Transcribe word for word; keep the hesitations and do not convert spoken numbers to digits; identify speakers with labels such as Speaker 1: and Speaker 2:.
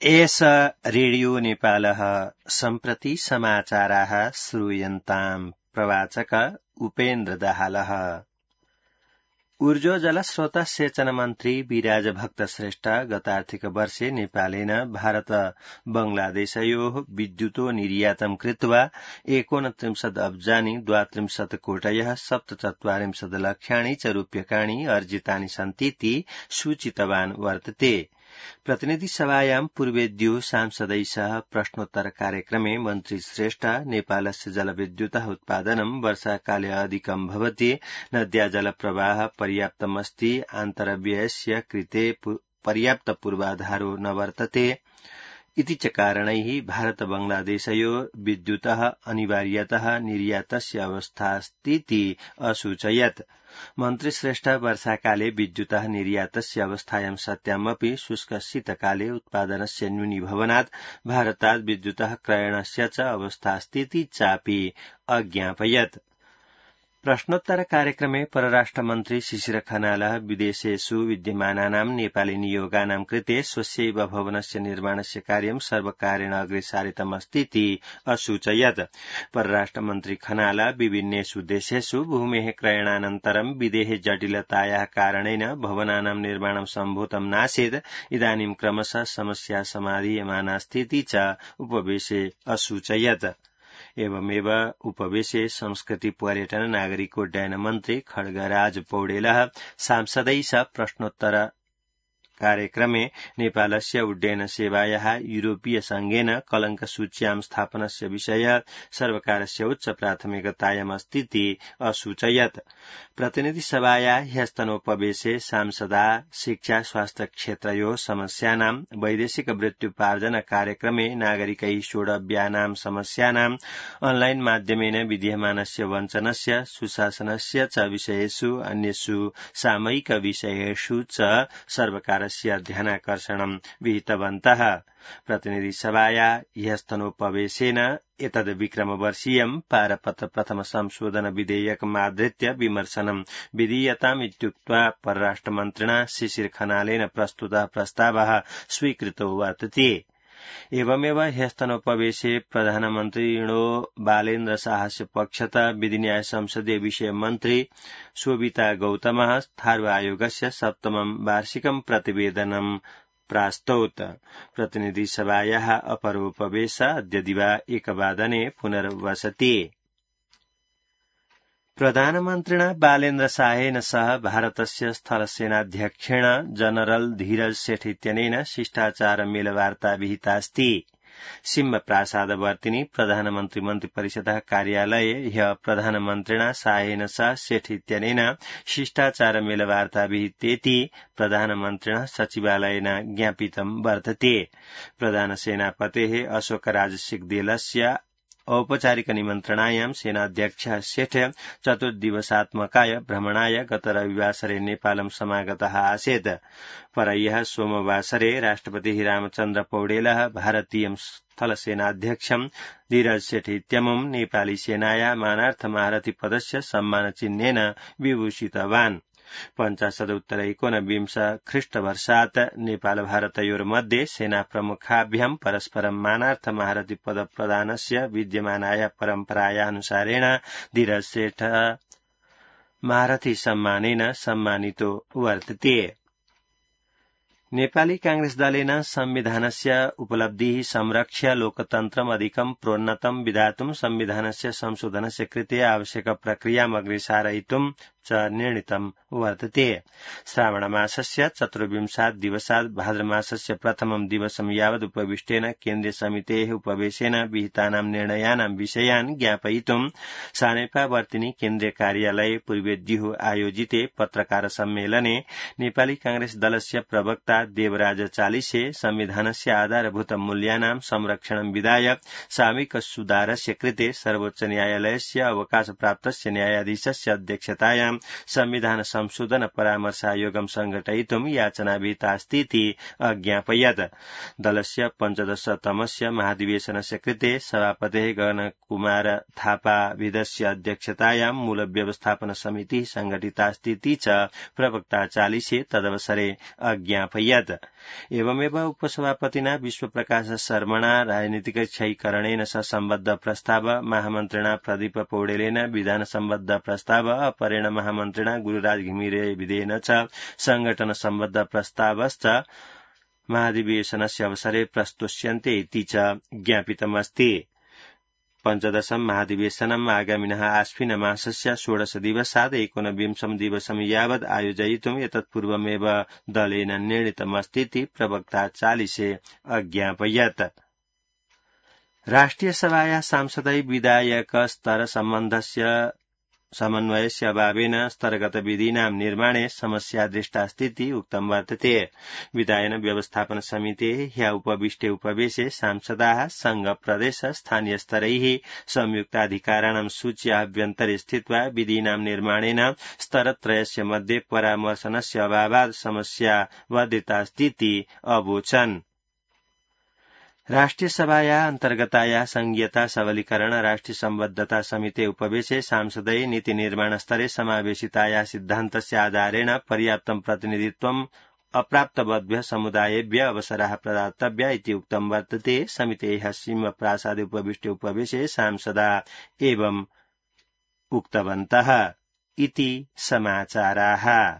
Speaker 1: एष रेडियो नेपालः सम्प्रति समाचाराः श्रूयन्ताम् प्रवाचक उपेन्द्र दाहालः। ऊर्जो जलस्रोत सेचन मन्त्री विराज भक्त श्रेष्ठ गत आर्थिक वर्षे नेपालेन भारत बंगलादेशयोः विद्युतो निर्यातं कृत्वा एकोनत्रिंशत् अब्जानि द्वात्रिंशत् कोटयः सप्तचत्वारिंशत् लक्षाणि च रूप्यकाणि अर्जितानि सन्तीति सूचितवान् वर्तते। प्रतिनिधि सभायां पूर्वेद्यो सांसदै सह प्रश्नोत्तर कार्यक्रमे मन्त्री श्रेष्ठ नेपालस्य जलविद्युतः उत्पादनं वर्षाकाले अधिकं भवति, नद्या जलप्रवाह पर्याप्तमस्ति, आन्तरव्ययस्य कृते पर्याप्त पूर्वाधारो न वर्तते इति च कारणैः भारत बांग्लादेशयो विद्युतः अनिवार्यतः निर्यातस्य अवस्थास्तीति असूचयत्। मन्त्री श्रेष्ठ वर्षाकाले विद्युतः निर्यातस्य अवस्थायां सत्यामपि शुष्कशीतकाले उत्पादनस्य न्यूनीभवनात् भारतात् विद्युतः क्रयणस्य च अवस्थास्तीति चापि अज्ञापयत्। प्रश्नोत्तर कार्यक्रमे परराष्ट्रमन्त्री शिशिर खनालः विदेशेषु विद्यमानानां नेपाली नियोगानां कृते स्वस्यैव भवनस्य निर्माणस्य कार्यं सर्वकारेण अग्रे सारितमस्तीति असूचयत्। परराष्ट्रमन्त्री खनाल विभिन्नेषु देशेषु भूमेः क्रयणानन्तरं विदेहे जटिलतायाः कारणेन भवनानां निर्माणं सम्भूतं नासीत्, इदानीं क्रमशः समस्या समाधीयमानास्तीति च उपवेशे असूचयत्। एवमेव उपवेशे संस्कृति पर्यटन नागरिकोड्डयन मन्त्री खड्गराज पौडेलः सांसदै सह प्रश्नोत्तर कार्यक्रमे नेपालस्य उड्डयन सेवायाः यूरोपीय संघेन कलंक सूच्यां स्थापनस्य विषय सर्वकारस्य उच्च प्राथमिकतायामस्तीति असूचयत्। प्रतिनिधि सभाया ह्यस्तनोपवेशे सांसदा शिक्षा स्वास्थ्य क्षेत्रयोः समस्यानां वैदेशिक वृत्त्युपार्जन कार्यक्रमे नागरिकैः सोढव्यानां समस्यानां ऑनलाइन माध्यमेन विद्यमानस्य वञ्चनस्य सुशासनस्य च विषयेषु अन्येषु सामयिक विषयेषु च सर्वकार ध्यानाकर्षणं विहितवन्तः। प्रतिनिधि सभाया ह्यस्तनोपवेशेन एतद् विक्रमवर्षीयं पारपत्र प्रथम संशोधन विधेयकमाधृत्य विमर्शनं विधीयताम् इत्युक्त्वा परराष्ट्रमन्त्रिणा शिशिर खनालेन प्रस्तुतः प्रस्तावः स्वीकृतो वर्तते। एवमेव ह्यस्तनोपवेशे प्रधानमन्त्रिणो बालेन्द्र शाहस्य पक्षतः विधिन्याय संसदीय विषय मन्त्री शोभिता गौतमः थारू आयोगस्य सप्तमं वार्षिकं प्रतिवेदनं प्रास्तौत। प्रतिनिधि सभायाः अपरोपवेश अद्य दिवा एकवादने पुनर्वसति। प्रधानमन्त्रिणा बालेन्द्र शाहेन सह भारतस्य स्थलसेनाध्यक्षेण जनरल धीरज सेठ इत्यनेन शिष्टाचार मेलवार्ता विहितास्ति। सिंह प्रासादवर्तिनि प्रधानमन्त्री मन्त्रिपरिषदः कार्यालये ह्यः प्रधानमन्त्रिणा शाहेन सह सेठ इत्यनेन शिष्टाचार मेलवार्ता विहितेति प्रधानमन्त्रिणः सचिवालयेन ज्ञापितं वर्तते। प्रधानसेनापतेः अशोक राजसिंहदेलस्य औपचारिक निमन्त्रणायां सेनाध्यक्षः सेठ चतुर्दिवसात्मकाय भ्रमणाय गत रविवासरे नेपालं समागतः आसीत्। परह्यः सोमवासरे राष्ट्रपतिः रामचन्द्र पौडेलः भारतीय स्थलसेनाध्यक्षं धीरज सेठ इत्यमुं नेपाली सेनाया मानार्थ महारथी पदस्य सम्मानचिह्नेन विभूषितवान्। पञ्चाशदुत्तर एकोनविंश ख्रीष्टवर्षात् नेपाल भारतयोर्मध्ये सेनाप्रमुखाभ्यां परस्परं मानार्थ महारथी पदप्रदानस्य विद्यमानाया परम्परायानुसारेण धीरज सेठ महारथी सम्मानेन सम्मानितो वर्तते। नेपाली कांग्रेस दलेन संविधानस्य उपलब्धिः संरक्ष्य लोकतन्त्रम् अधिकं प्रोन्नतं विधातुं संविधानस्य संशोधनस्य कृते आवश्यक प्रक्रियाम् अग्रेसारयितुं च निर्णीतं वर्तते। श्रावणमासस्य चतुर्विंशात् दिवसात् भाद्रमासस्य प्रथमं दिवसं यावत् उपविष्टेन केन्द्रीय समितेः उपवेशेन विहितानां निर्णयानां विषयान् ज्ञापयितुं सानेपावर्तिनि केन्द्रीय कार्यालये पूर्वेद्युः आयोजिते पत्रकार सम्मेलने नेपाली कांग्रेस दलस्य प्रवक्ता देवराज चालिसे संविधानस्य आधारभूत मूल्यानां संरक्षणं विधाय सामूहिक सुधारस्य कृते सर्वोच्च न्यायालयस्य अवकाशप्राप्तस्य न्यायाधीशस्य अध्यक्षतायां संविधान संशोधन परामर्शायोगं संघटयितुं याचना विहितास्तीति अज्ञापयत्। दलस्य पञ्चदशतमस्य महाधिवेशनस्य कृते सभापतेः गगनकुमार थापाविदस्य अध्यक्षतायां मूलव्यवस्थापन समितिः संघटितास्तीति च प्रवक्ता चालिसे तदवसरे अज्ञापयत्। एवमेव उपसभापतिना विश्वप्रकाश शर्मणा राजनीतिक क्षयीकरणेन सह सम्बद्ध प्रस्ताव, महामन्त्रिणा प्रदीप पौडेलेन विधान सम्बद्ध प्रस्ताव, अपरेण महामन्त्रिणा गुरुराज घिमिरेविदेन च संघटन सम्बद्ध प्रस्तावश्च महाधिवेशनस्य अवसरे प्रस्तुष्यन्ते इति च ज्ञापितमस्ति। पञ्चदशं महाधिवेशनम् आगामिनः आश्विन मासस्य षोडश दिवसात् एकोनविंशं दिवसं यावत् आयोजयितुम् एतत्पूर्वमेव दलेन निर्णीतमस्तीति प्रवक्ता चालिसे अज्ञापयत्। राष्ट्रियसभाया सांसदै विधायक स्तर सम्बन्धस्य समन्वयस्य अभावेन स्तरगत विधीनां निर्माणे समस्या दृष्टास्तीति उक्तं वर्तते। विधायन व्यवस्थापन समितेः ह्य उपविष्टे उपवेशे सांसदाः संघ प्रदेश स्थानीयस्तरैः संयुक्ताधिकाराणां सूच्याभ्यन्तरे स्थित्वा विधीनां निर्माणेन स्तरत्रयस्य मध्ये परामर्शनस्य अभावात् समस्या वर्धितास्तीति अवोचन्। राष्ट्रियसभाया अन्तर्गताया संघीयता सबलीकरण राष्ट्रिय सम्बद्धता समिते उपवेशे सांसदै नीतिनिर्माण स्तरे समावेशिताया सिद्धान्तस्य आधारेण पर्याप्तं प्रतिनिधित्वम् अप्राप्तवद्भ्यः समुदायेभ्यः अवसराः प्रदातव्या इति उक्तं वर्तते। समितेः सिंहप्रासादे उपविष्टे उपवेशे सांसदा एवम् उक्तवन्तः इति समाचाराः।